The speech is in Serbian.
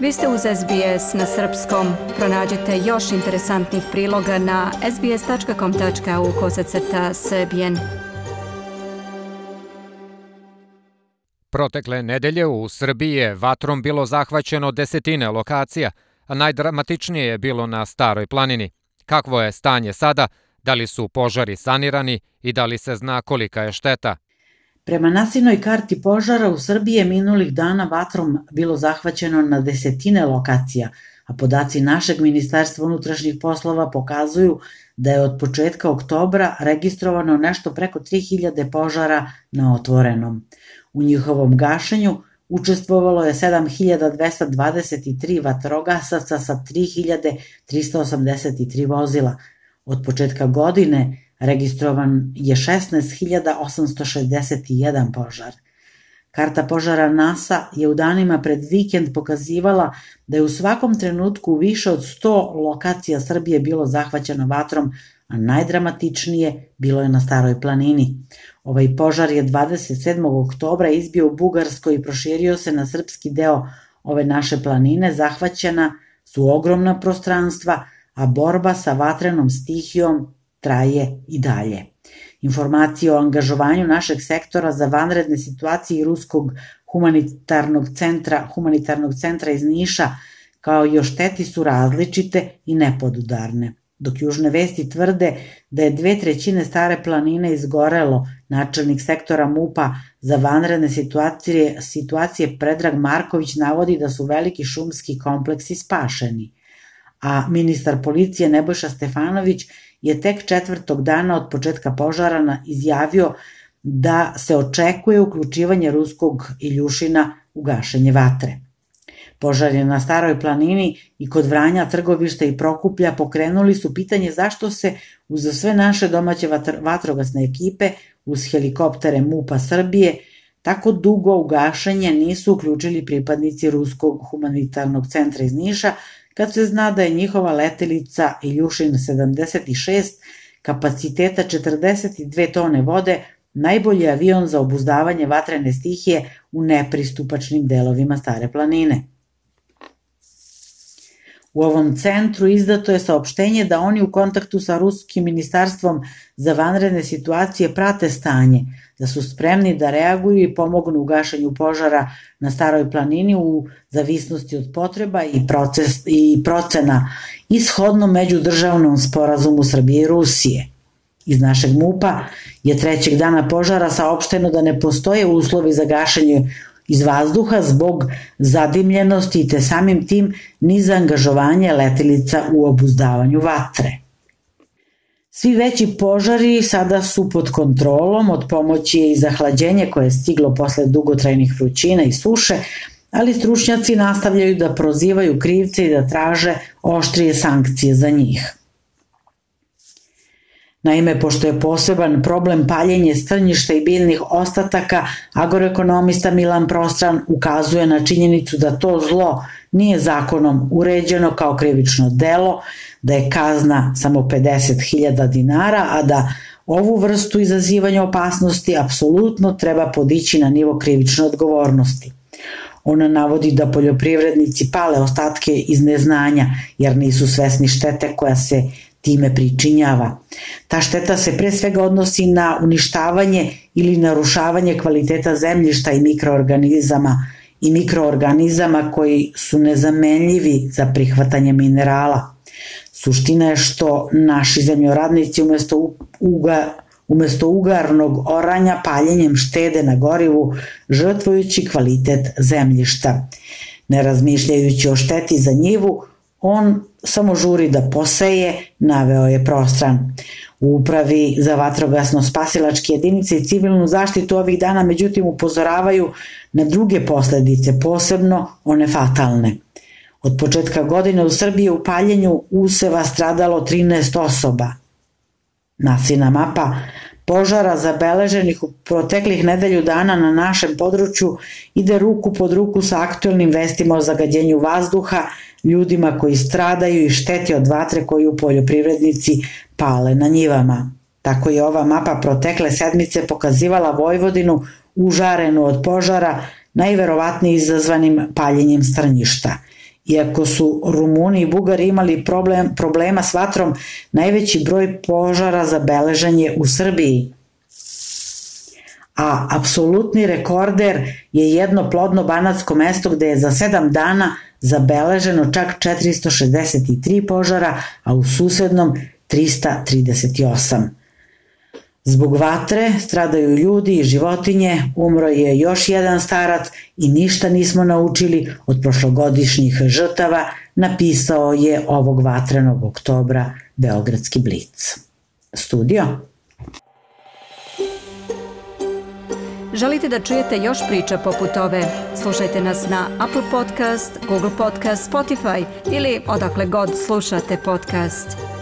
Vi ste uz SBS na srpskom. Pronađite još interesantnih priloga na sbs.com.au/srbijen. Protekle nedelje u Srbiji je vatrom bilo zahvaćeno desetine lokacija, a najdramatičnije je bilo na Staroj planini. Kakvo je stanje sada? Da li su požari sanirani i da li se zna kolika je šteta? Prema nasilnoj karti požara u Srbiji je minulih dana vatrom bilo zahvaćeno na desetine lokacija, a podaci našeg Ministarstva unutrašnjih poslova pokazuju da je od početka oktobra registrovano nešto preko 3000 požara na otvorenom. U njihovom gašenju učestvovalo je 7223 vatrogasaca sa 3383 vozila. Od početka godine registrovan je 16.861 požar. Karta požara NASA je u danima pred vikend pokazivala da je u svakom trenutku više od 100 lokacija Srbije bilo zahvaćeno vatrom, a najdramatičnije bilo je na Staroj planini. Ovaj požar je 27. oktobra izbio u Bugarskoj i proširio se na srpski deo ove naše planine. Zahvaćena su ogromna prostranstva, a borba sa vatrenom stihijom traje i dalje. Informacije o angažovanju našeg sektora za vanredne situacije i Ruskog humanitarnog centra iz Niša, kao i o šteti su različite i nepodudarne. Dok južne vesti tvrde da je 2/3 Stare planine izgorelo, načelnik sektora MUP-a za vanredne situacije Predrag Marković navodi da su veliki šumski kompleksi spašeni, a ministar policije Nebojša Stefanović je tek 4. dana od početka požara izjavio da se očekuje uključivanje ruskog Iljušina u gašenje vatre. Požar je na Staroj planini i kod Vranja, Trgovišta i Prokuplja pokrenuli su pitanje zašto se uz sve naše domaće vatrogasne ekipe, uz helikoptere MUP-a Srbije, tako dugo u gašenje nisu uključili pripadnici Ruskog humanitarnog centra iz Niša, kad se zna da je njihova letelica Iljušin 76 kapaciteta 42 tone vode najbolji avion za obuzdavanje vatrene stihije u nepristupačnim delovima Stare planine. U ovom centru izdato je saopštenje da oni u kontaktu sa Ruskim ministarstvom za vanredne situacije prate stanje, da su spremni da reaguju i pomognu u gašenju požara na Staroj planini u zavisnosti od potreba i procena ishodno međudržavnom sporazumu Srbije i Rusije. Iz našeg MUP-a je 3. dana požara saopšteno da ne postoje uslovi za gašenje iz vazduha zbog zadimljenosti te samim tim ni za angažovanje letelica u obuzdavanju vatre. Svi veći požari sada su pod kontrolom, od pomoći je i zahlađenje koje je stiglo posle dugotrajnih vrućina i suše, ali stručnjaci nastavljaju da prozivaju krivce i da traže oštrije sankcije za njih. Naime, pošto je poseban problem paljenje strnjišta i biljnih ostataka, agroekonomista Milan Prostran ukazuje na činjenicu da to zlo nije zakonom uređeno kao krivično delo, da je kazna samo 50.000 dinara, a da ovu vrstu izazivanja opasnosti apsolutno treba podići na nivo krivične odgovornosti. Ona navodi da poljoprivrednici pale ostatke iz neznanja jer nisu svesni štete koja se time pričinjava. Ta šteta se pre svega odnosi na uništavanje ili narušavanje kvaliteta zemljišta i mikroorganizama koji su nezamenljivi za prihvatanje minerala. Suština je što naši zemljoradnici umesto ugarnog oranja paljenjem štede na gorivu, žrtvujući kvalitet zemljišta. Ne razmišljajući o šteti za njivu, on samo žuri da poseje, naveo je Prostran. U Upravi za vatrogasno-spasilačke jedinice i civilnu zaštitu ovih dana međutim upozoravaju na druge posledice, posebno one fatalne. Od početka godine u Srbiji u paljenju useva stradalo 13 osoba. Nasilna mapa požara zabeleženih u proteklih nedelju dana na našem području ide ruku pod ruku sa aktuelnim vestima o zagađenju vazduha, ljudima koji stradaju i šteti od vatre koju poljoprivrednici pale na njivama. Tako je ova mapa protekle sedmice pokazivala Vojvodinu užarenu od požara, najverovatnije izazvanim paljenjem strnjišta. Iako su Rumuni i Bugari imali problema s vatrom, najveći broj požara zabeležen je u Srbiji. A apsolutni rekorder je jedno plodno banatsko mesto gde je za 7 dana zabeleženo čak 463 požara, a u susednom 338. Zbog vatre stradaju ljudi i životinje, umro je još jedan starac i ništa nismo naučili od prošlogodišnjih žrtava, napisao je ovog vatrenog oktobra Beogradski Blic. Studio. Želite da čujete još priča poput ove? Slušajte nas na Apple Podcast, Google Podcast, Spotify ili odakle god slušate podcast.